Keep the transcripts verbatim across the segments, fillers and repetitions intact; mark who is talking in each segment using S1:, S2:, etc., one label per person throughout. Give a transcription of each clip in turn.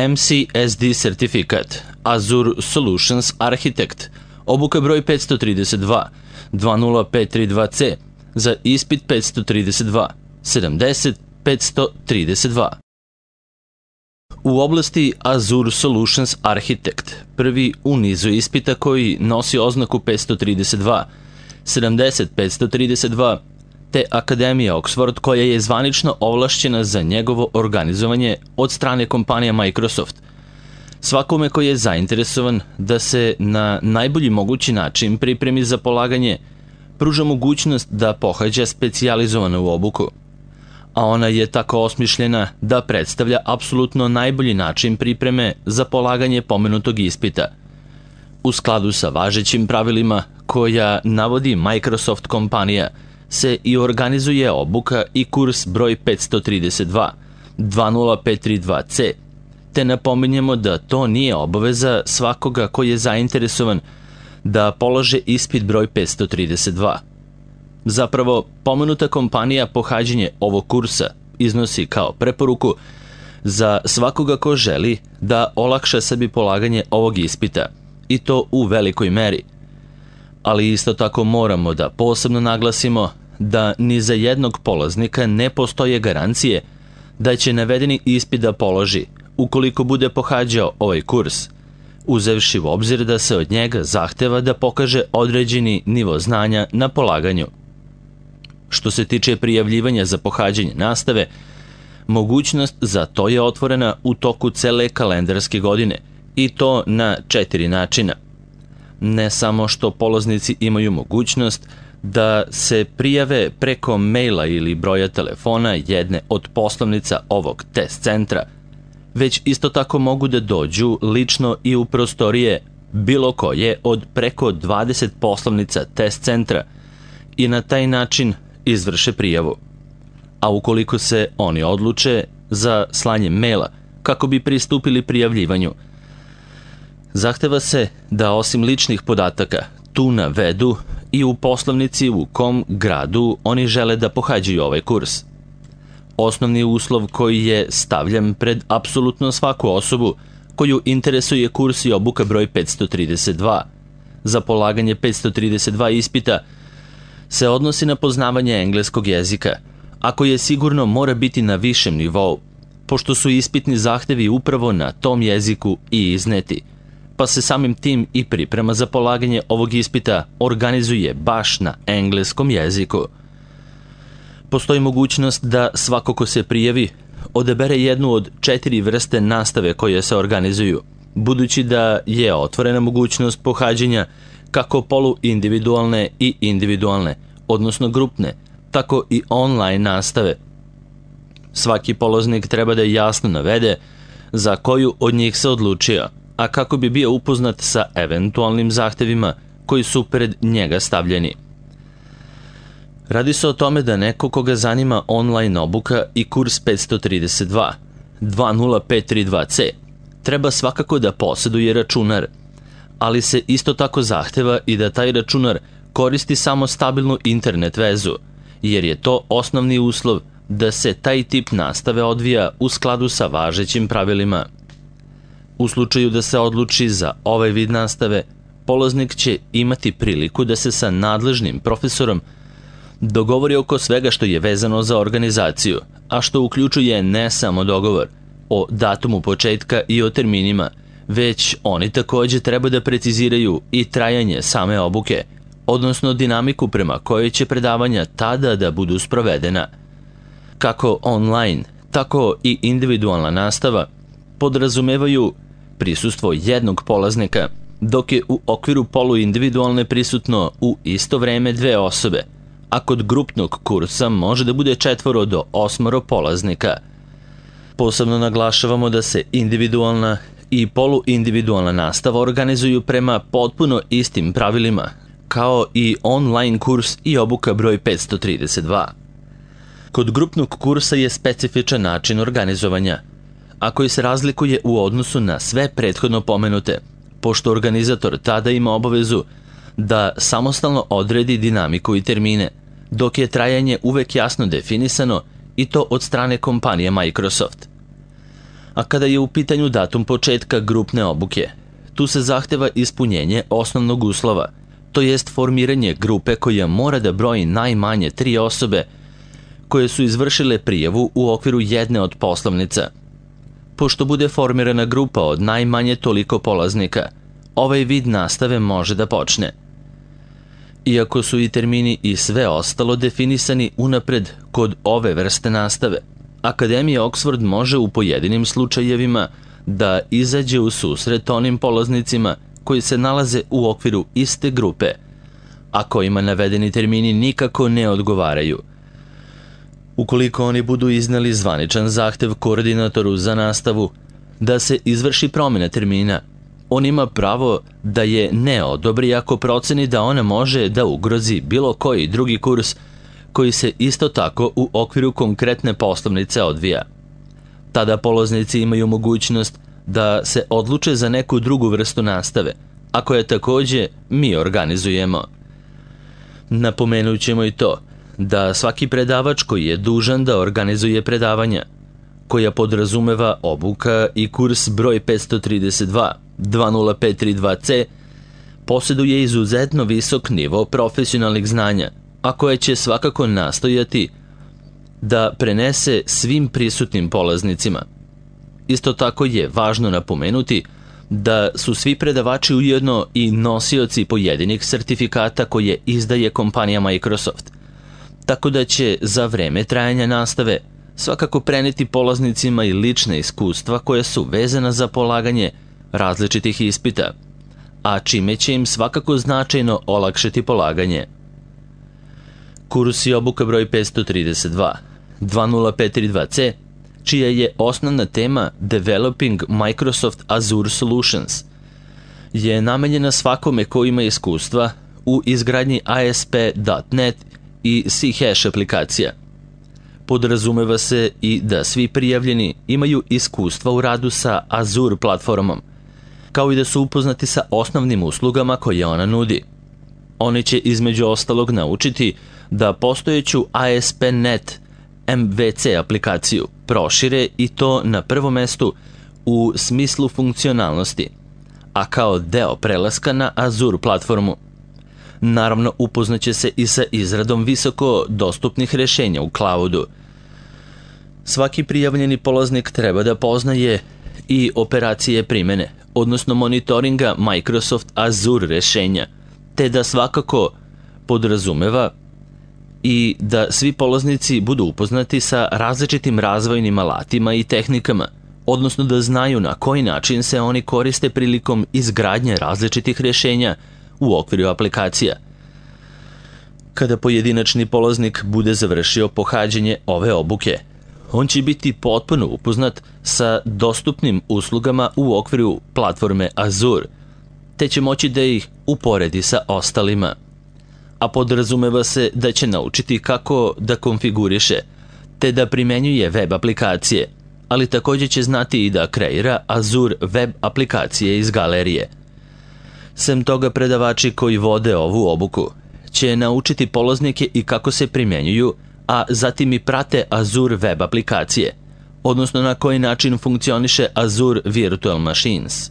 S1: M C S D sertifikat, Azure Solutions Architect, obuka broj petsto trideset dva, dva nula pet tri dva C, za ispit petsto trideset dva, sedamdeset petsto trideset dva. U oblasti Azure Solutions Architect, prvi u nizu ispita koji nosi oznaku petsto trideset dva, sedamdeset petsto trideset dva, te Akademija Oxford koja je zvanično ovlašćena za njegovo organizovanje od strane kompanija Microsoft. Svakome koji je zainteresovan da se na najbolji mogući način pripremi za polaganje, pruža mogućnost da pohađa specijalizovanu obuku, a ona je tako osmišljena da predstavlja apsolutno najbolji način pripreme za polaganje pomenutog ispita. U skladu sa važećim pravilima koja navodi Microsoft kompanija, se i organizuje obuka i kurs broj petsto trideset dva, dva nula pet tri dva C, te napominjemo da to nije obaveza svakoga koji je zainteresovan da polože ispit broj petsto trideset dva. Zapravo, pomenuta kompanija pohađanje ovog kursa iznosi kao preporuku za svakoga ko želi da olakša sebi polaganje ovog ispita, i to u velikoj meri. Ali isto tako moramo da posebno naglasimo da ni za jednog polaznika ne postoje garancije da će navedeni ispit da položi ukoliko bude pohađao ovaj kurs, uzevši u obzir da se od njega zahteva da pokaže određeni nivo znanja na polaganju. Što se tiče prijavljivanja za pohađanje nastave, mogućnost za to je otvorena u toku cele kalendarske godine, i to na četiri načina. Ne samo što polaznici imaju mogućnost da se prijave preko maila ili broja telefona jedne od poslovnica ovog test centra, već isto tako mogu da dođu lično i u prostorije bilo koje od preko dvadeset poslovnica test centra i na taj način izvrše prijavu. A ukoliko se oni odluče za slanje maila kako bi pristupili prijavljivanju, zahteva se da osim ličnih podataka tu navedu i u poslovnici u kom gradu oni žele da pohađaju ovaj kurs. Osnovni uslov koji je stavljen pred apsolutno svaku osobu koju interesuje kurs i obuka broj petsto trideset dva za polaganje petsto trideset dva ispita se odnosi na poznavanje engleskog jezika, a koje sigurno mora biti na višem nivou, pošto su ispitni zahtevi upravo na tom jeziku i izneti, pa se samim tim i priprema za polaganje ovog ispita organizuje baš na engleskom jeziku. Postoji mogućnost da svako ko se prijavi odabere jednu od četiri vrste nastave koje se organizuju, budući da je otvorena mogućnost pohađanja kako poluindividualne i individualne, odnosno grupne, tako i online nastave. Svaki polaznik treba da jasno navede za koju od njih se odlučio, a kako bi bio upoznat sa eventualnim zahtevima koji su pred njega stavljeni. Radi se o tome da neko koga zanima online obuka i kurs petsto trideset dva, dva nula pet tri dva C, treba svakako da posjeduje računar, ali se isto tako zahteva i da taj računar koristi samo stabilnu internet vezu, jer je to osnovni uslov da se taj tip nastave odvija u skladu sa važećim pravilima. U slučaju da se odluči za ovaj vid nastave, polaznik će imati priliku da se sa nadležnim profesorom dogovori oko svega što je vezano za organizaciju, a što uključuje ne samo dogovor o datumu početka i o terminima, već oni takođe treba da preciziraju i trajanje same obuke, odnosno dinamiku prema kojoj će predavanja tada da budu sprovedena. Kako online, tako i individualna nastava podrazumevaju prisustvo jednog polaznika, dok je u okviru poluindividualne prisutno u isto vreme dve osobe, a kod grupnog kursa može da bude četvoro do osmoro polaznika. Posebno naglašavamo da se individualna i poluindividualna nastava organizuju prema potpuno istim pravilima, kao i online kurs i obuka broj petsto trideset dva. Kod grupnog kursa je specifičan način organizovanja, a koji se razlikuje u odnosu na sve prethodno pomenute, pošto organizator tada ima obavezu da samostalno odredi dinamiku i termine, dok je trajanje uvek jasno definisano i to od strane kompanije Microsoft. A kada je u pitanju datum početka grupne obuke, tu se zahteva ispunjenje osnovnog uslova, to jest formiranje grupe koja mora da broji najmanje tri osobe koje su izvršile prijavu u okviru jedne od poslovnica. Pošto bude formirana grupa od najmanje toliko polaznika, ovaj vid nastave može da počne. Iako su i termini i sve ostalo definisani unapred kod ove vrste nastave, Akademija Oxford može u pojedinim slučajevima da izađe u susret onim polaznicima koji se nalaze u okviru iste grupe, a kojima navedeni termini nikako ne odgovaraju. Ukoliko oni budu izneli zvaničan zahtev koordinatoru za nastavu da se izvrši promjena termina, on ima pravo da je ne odobri ako proceni da ona može da ugrozi bilo koji drugi kurs koji se isto tako u okviru konkretne poslovnice odvija. Tada polaznici imaju mogućnost da se odluče za neku drugu vrstu nastave, a koje takođe mi organizujemo. Napomenut ćemo i to da svaki predavač koji je dužan da organizuje predavanja, koja podrazumeva obuka i kurs broj petsto trideset dva dva nula pet tri dva C, posjeduje izuzetno visok nivo profesionalnih znanja, a koje će svakako nastojati da prenese svim prisutnim polaznicima. Isto tako je važno napomenuti da su svi predavači ujedno i nosioci pojedinih sertifikata koje izdaje kompanija Microsoft, tako da će za vreme trajanja nastave svakako preneti polaznicima i lična iskustva koja su vezana za polaganje različitih ispita, a čime će im svakako značajno olakšati polaganje. Kurs i obuka broj petsto trideset dva dva nula pet tri dva C, čija je osnovna tema Developing Microsoft Azure Solutions, je namenjena svakome ko ima iskustva u izgradnji A S P dot net i C-Hash aplikacija. Podrazumeva se i da svi prijavljeni imaju iskustva u radu sa Azure platformom, kao i da su upoznati sa osnovnim uslugama koje ona nudi. Oni će između ostalog naučiti da postojeću A S P dot net M V C aplikaciju prošire i to na prvom mestu u smislu funkcionalnosti, a kao deo prelaska na Azure platformu. Naravno, upoznaće se i sa izradom visoko dostupnih rešenja u cloudu. Svaki prijavljeni polaznik treba da poznaje i operacije primene, odnosno monitoringa Microsoft Azure rešenja, te da svakako podrazumeva i da svi polaznici budu upoznati sa različitim razvojnim alatima i tehnikama, odnosno da znaju na koji način se oni koriste prilikom izgradnje različitih rešenja u okviru aplikacija. Kada pojedinačni polaznik bude završio pohađanje ove obuke, on će biti potpuno upoznat sa dostupnim uslugama u okviru platforme Azure, te će moći da ih uporedi sa ostalima. A podrazumeva se da će naučiti kako da konfiguriše, te da primenjuje web aplikacije, ali takođe će znati i da kreira Azure web aplikacije iz galerije. Sem toga, predavači koji vode ovu obuku će naučiti polaznike i kako se primenjuju, a zatim i prate Azure web aplikacije, odnosno na koji način funkcioniše Azure Virtual Machines.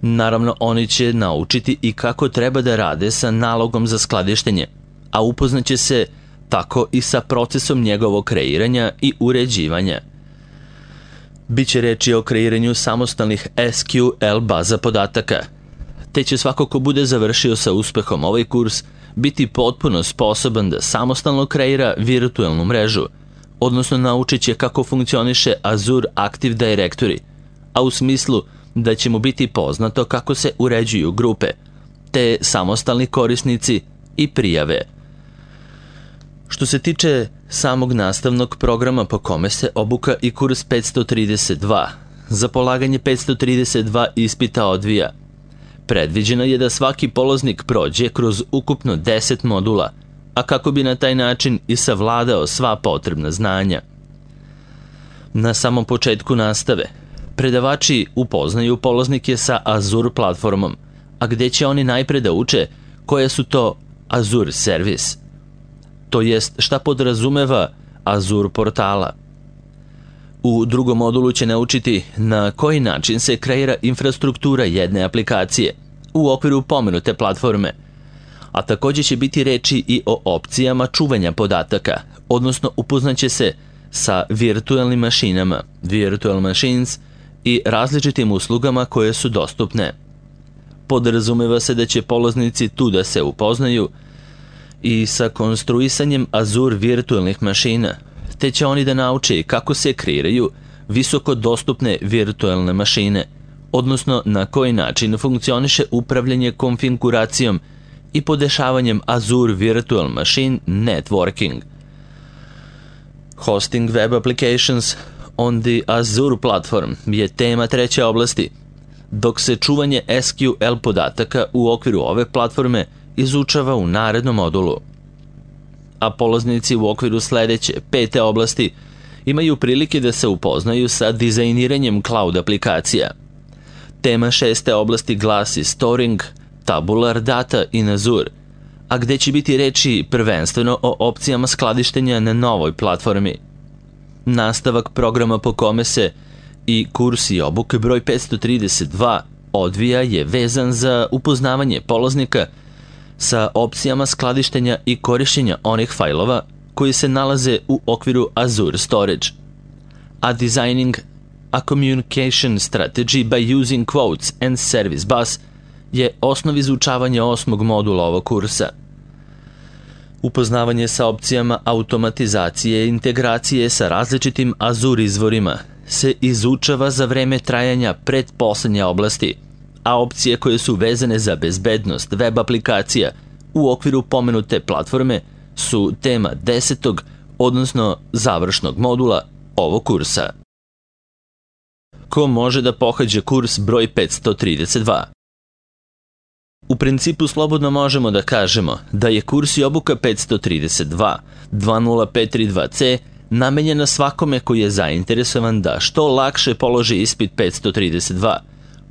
S1: Naravno, oni će naučiti i kako treba da rade sa nalogom za skladištenje, a upoznaće se tako i sa procesom njegovog kreiranja i uređivanja. Biće reči o kreiranju samostalnih S Q L baza podataka, te će svako ko bude završio sa uspehom ovaj kurs biti potpuno sposoban da samostalno kreira virtualnu mrežu, odnosno naučit će kako funkcioniše Azure Active Directory, a u smislu da će mu biti poznato kako se uređuju grupe, te samostalni korisnici i prijave. Što se tiče samog nastavnog programa po kome se obuka i kurs petsto trideset dva, za polaganje petsto trideset dva ispita odvija, predviđeno je da svaki polaznik prođe kroz ukupno deset modula, a kako bi na taj način i savladao sva potrebna znanja. Na samom početku nastave, predavači upoznaju polaznike sa Azure platformom, a gde će oni najpre da uče koje su to Azure Service, to jest šta podrazumeva Azure portala. U drugom modulu će naučiti na koji način se kreira infrastruktura jedne aplikacije u okviru pomenute platforme, a također će biti reči i o opcijama čuvanja podataka, odnosno upoznaće se sa virtualnim mašinama, virtual machines, i različitim uslugama koje su dostupne. Podrazumeva se da će polaznici tu da se upoznaju i sa konstruisanjem Azure virtualnih mašina, te će oni da nauče kako se kreiraju visoko dostupne virtualne mašine, odnosno na koji način funkcioniše upravljanje konfiguracijom i podešavanjem Azure Virtual Machine Networking. Hosting web applications on the Azure platform je tema treće oblasti, dok se čuvanje S Q L podataka u okviru ove platforme izučava u narednom modulu. A polaznici u okviru sledeće, pete oblasti, imaju prilike da se upoznaju sa dizajniranjem cloud aplikacija. Tema šeste oblasti glasi Storing Tabular Data in Azure, a gde će biti reči prvenstveno o opcijama skladištenja na novoj platformi. Nastavak programa po kome se i kurs i obuke broj petsto trideset dva odvija je vezan za upoznavanje polaznika sa opcijama skladištenja i korišćenja onih fajlova koji se nalaze u okviru Azure Storage. A Designing a Communication Strategy by Using Quotes and Service Bus je osnov izučavanja osmog modula ovog kursa. Upoznavanje sa opcijama automatizacije i integracije sa različitim Azure izvorima se izučava za vreme trajanja pretposlednje oblasti, a opcije koje su vezane za bezbednost web aplikacija u okviru pomenute platforme su tema desetog, odnosno završnog modula ovog kursa. Ko može da pohađa kurs broj petsto trideset dva? U principu slobodno možemo da kažemo da je kurs i obuka petsto trideset dva dva nula pet tri dva C namenjena svakome koji je zainteresovan da što lakše položi ispit petsto trideset dva,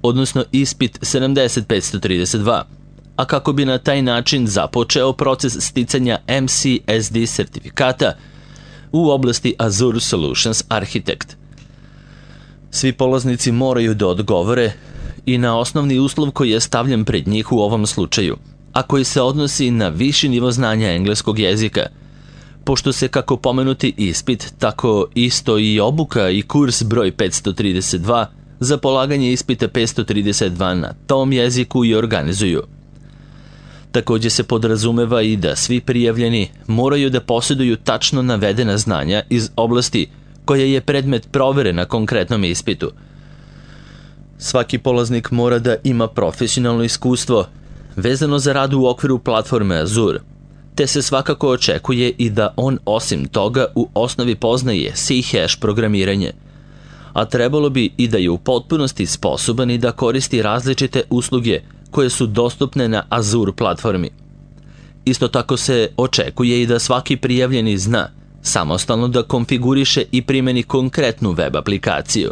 S1: odnosno ispit sedamdeset petsto trideset dva, a kako bi na taj način započeo proces sticanja M C S D sertifikata u oblasti Azure Solutions Architect. Svi polaznici moraju da odgovore i na osnovni uslov koji je stavljen pred njih u ovom slučaju, a koji se odnosi na viši nivo znanja engleskog jezika, pošto se kako pomenuti ispit, tako isto i obuka i kurs broj petsto trideset dva za polaganje ispita petsto trideset dva na tom jeziku i organizuju. Također se podrazumeva i da svi prijavljeni moraju da posjeduju tačno navedena znanja iz oblasti koja je predmet provere na konkretnom ispitu. Svaki polaznik mora da ima profesionalno iskustvo vezano za rad u okviru platforme Azure, te se svakako očekuje i da on osim toga u osnovi poznaje C-hash programiranje, a trebalo bi i da je u potpunosti sposoban i da koristi različite usluge koje su dostupne na Azure platformi. Isto tako se očekuje i da svaki prijavljeni zna samostalno da konfiguriše i primeni konkretnu web aplikaciju.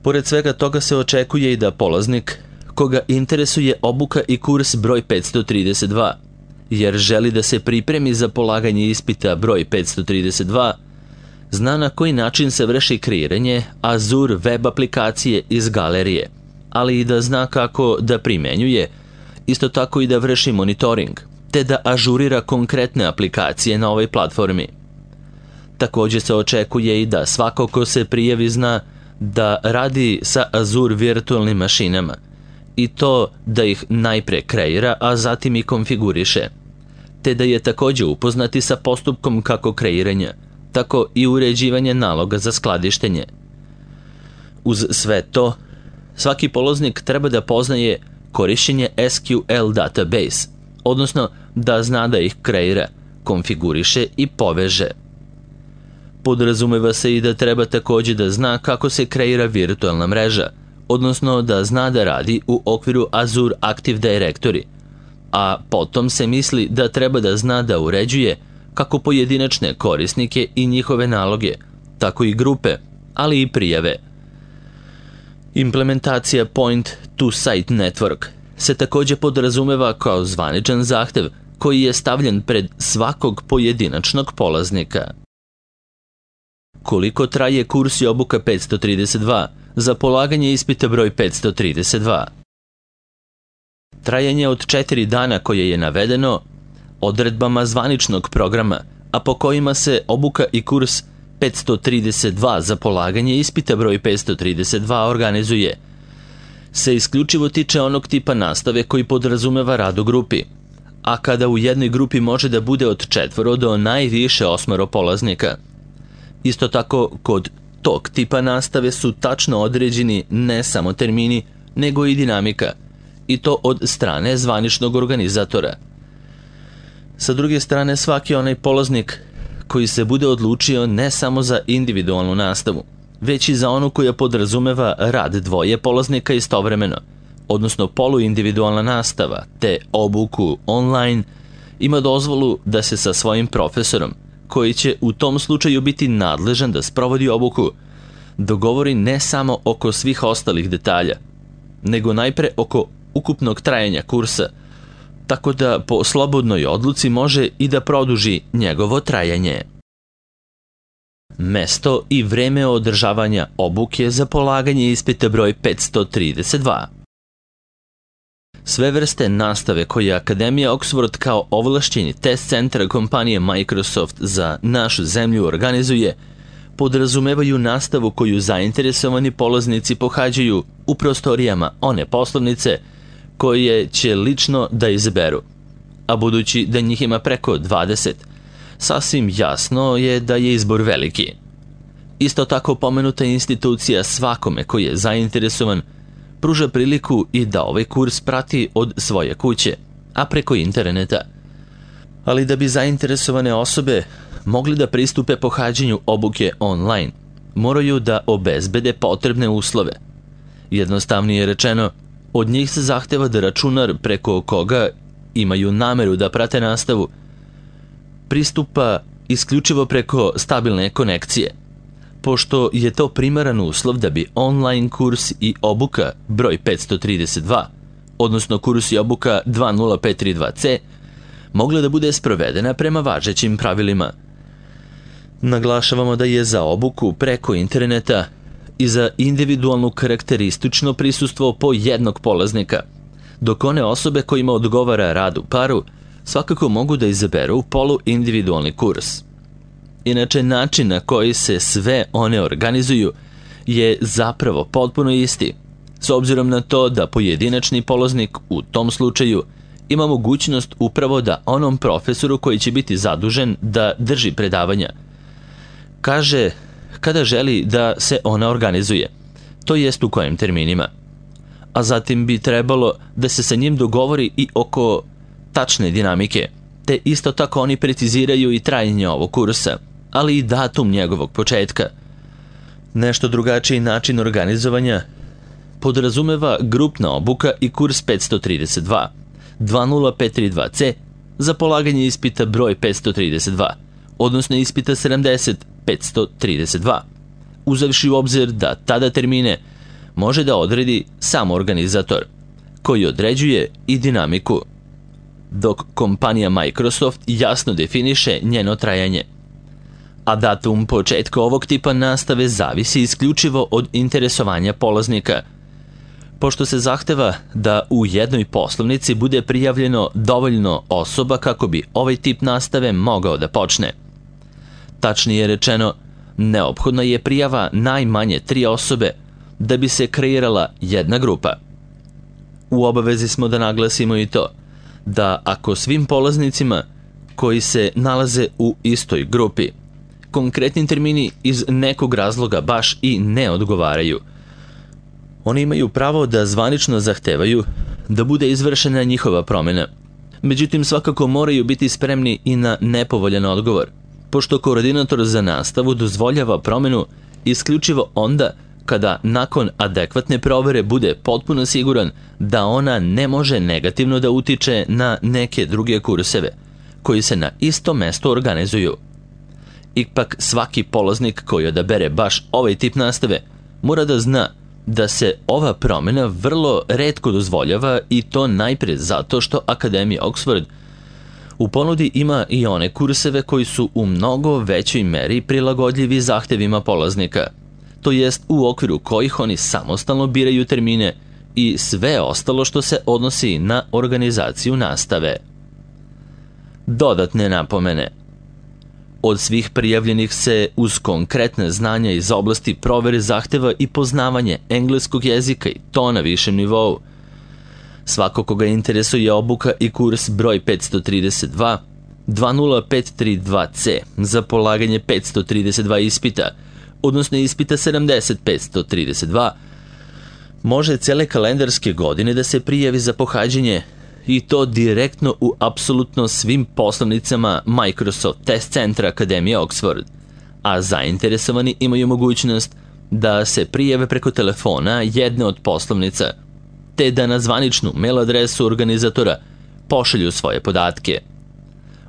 S1: Pored svega toga se očekuje i da polaznik, koga interesuje obuka i kurs broj petsto trideset dva, jer želi da se pripremi za polaganje ispita broj petsto trideset dva, zna na koji način se vrši kreiranje Azure web aplikacije iz galerije, ali i da zna kako da primenjuje, isto tako i da vrši monitoring, te da ažurira konkretne aplikacije na ovoj platformi. Također se očekuje i da svako ko se prijavi zna da radi sa Azure virtualnim mašinama i to da ih najpre kreira, a zatim i konfiguriše, te da je također upoznati sa postupkom kako kreiranja, tako i uređivanje naloga za skladištenje. Uz sve to, svaki polaznik treba da poznaje korišćenje S Q L database, odnosno da zna da ih kreira, konfiguriše i poveže. Podrazumeva se i da treba također da zna kako se kreira virtualna mreža, odnosno da zna da radi u okviru Azure Active Directory, a potom se misli da treba da zna da uređuje kako pojedinačne korisnike i njihove naloge, tako i grupe, ali i prijave. Implementacija Point-to-Site Network se također podrazumeva kao zvaničan zahtev koji je stavljen pred svakog pojedinačnog polaznika. Koliko traje kurs i obuka petsto trideset dva za polaganje ispita broj petsto trideset dva? Trajanje od četiri dana koje je navedeno odredbama zvaničnog programa, a po kojima se obuka i kurs petsto trideset dva za polaganje ispita broj petsto trideset dva organizuje, se isključivo tiče onog tipa nastave koji podrazumeva rad u grupi, a kada u jednoj grupi može da bude od četvoro do najviše osmoro polaznika. Isto tako, kod tog tipa nastave su tačno određeni ne samo termini, nego i dinamika, i to od strane zvaničnog organizatora. Sa druge strane, svaki onaj polaznik koji se bude odlučio ne samo za individualnu nastavu, već i za onu koja podrazumeva rad dvoje polaznika istovremeno, odnosno poluindividualna nastava, te obuku online, ima dozvolu da se sa svojim profesorom, koji će u tom slučaju biti nadležan da sprovodi obuku, dogovori ne samo oko svih ostalih detalja, nego najpre oko ukupnog trajanja kursa, tako da po slobodnoj odluci može i da produži njegovo trajanje. Mesto i vreme održavanja obuke za polaganje ispita broj petsto trideset dva. Sve vrste nastave koje Akademija Oxford kao ovlašćeni test centar kompanije Microsoft za našu zemlju organizuje, podrazumevaju nastavu koju zainteresovani polaznici pohađaju u prostorijama one poslovnice koje će lično da izaberu, a budući da njih ima preko dvadeset, sasvim jasno je da je izbor veliki. Isto tako pomenuta institucija svakome koji je zainteresovan pruža priliku i da ovaj kurs prati od svoje kuće, a preko interneta. Ali da bi zainteresovane osobe mogli da pristupe pohađanju obuke online, moraju da obezbede potrebne uslove. Jednostavnije rečeno, od njih se zahteva da računar preko koga imaju nameru da prate nastavu pristupa isključivo preko stabilne konekcije, pošto je to primaran uslov da bi online kurs i obuka broj petsto trideset dva, odnosno kurs i obuka dva nula pet tri dva ce, mogla da bude sprovedena prema važećim pravilima. Naglašavamo da je za obuku preko interneta i za individualnu karakteristično prisustvo po jednog polaznika, dok one osobe kojima odgovara rad u paru svakako mogu da izaberu poluindividualni kurs. Inače, način na koji se sve one organizuju je zapravo potpuno isti, s obzirom na to da pojedinačni polaznik u tom slučaju ima mogućnost upravo da onom profesoru koji će biti zadužen da drži predavanja kaže kada želi da se ona organizuje, to jest u kojim terminima. A zatim bi trebalo da se sa njim dogovori i oko tačne dinamike, te isto tako oni preciziraju i trajanje ovog kursa, ali i datum njegovog početka. Nešto drugačiji način organizovanja podrazumeva grupna obuka i kurs petsto trideset dva, dva nula pet tri dva ce za polaganje ispita broj petsto trideset dva, odnosno ispita sedamdeset petsto trideset dva, uzevši u obzir da tada termine može da odredi sam organizator, koji određuje i dinamiku, dok kompanija Microsoft jasno definiše njeno trajanje. A datum početka ovog tipa nastave zavisi isključivo od interesovanja polaznika, pošto se zahteva da u jednoj poslovnici bude prijavljeno dovoljno osoba kako bi ovaj tip nastave mogao da počne. Tačnije rečeno, neophodna je prijava najmanje tri osobe da bi se kreirala jedna grupa. U obavezi smo da naglasimo i to, da ako svim polaznicima koji se nalaze u istoj grupi konkretni termini iz nekog razloga baš i ne odgovaraju, oni imaju pravo da zvanično zahtevaju da bude izvršena njihova promjena. Međutim, svakako moraju biti spremni i na nepovoljan odgovor, pošto koordinator za nastavu dozvoljava promjenu isključivo onda kada nakon adekvatne provere bude potpuno siguran da ona ne može negativno da utiče na neke druge kurseve koji se na isto mesto organizuju. Ipak svaki polaznik koji odabere baš ovaj tip nastave mora da zna da se ova promjena vrlo retko dozvoljava, i to najpre zato što Akademija Oxford U ponudi ima i one kurseve koji su u mnogo većoj meri prilagodljivi zahtevima polaznika, to jest u okviru kojih oni samostalno biraju termine i sve ostalo što se odnosi na organizaciju nastave. Dodatne napomene. Od svih prijavljenih se uz konkretne znanja iz oblasti provere zahteva i poznavanje engleskog jezika i to na višem nivou. Svako koga interesuje obuka i kurs broj petsto trideset dva dva nula pet tri dva C za polaganje petsto trideset dva ispita, odnosno ispita sedamdeset petsto trideset dva, može cele kalendarske godine da se prijavi za pohađanje i to direktno u apsolutno svim poslovnicama Microsoft Test Centra Akademije Oxford, a zainteresovani imaju mogućnost da se prijave preko telefona jedne od poslovnica, te da na zvaničnu mail adresu organizatora pošalju svoje podatke.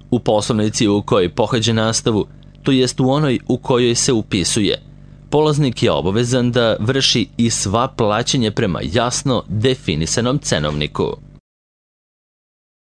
S1: U poslovnici u kojoj pohađa nastavu, to jest u onoj u kojoj se upisuje, polaznik je obavezan da vrši i sva plaćanja prema jasno definisanom cenovniku.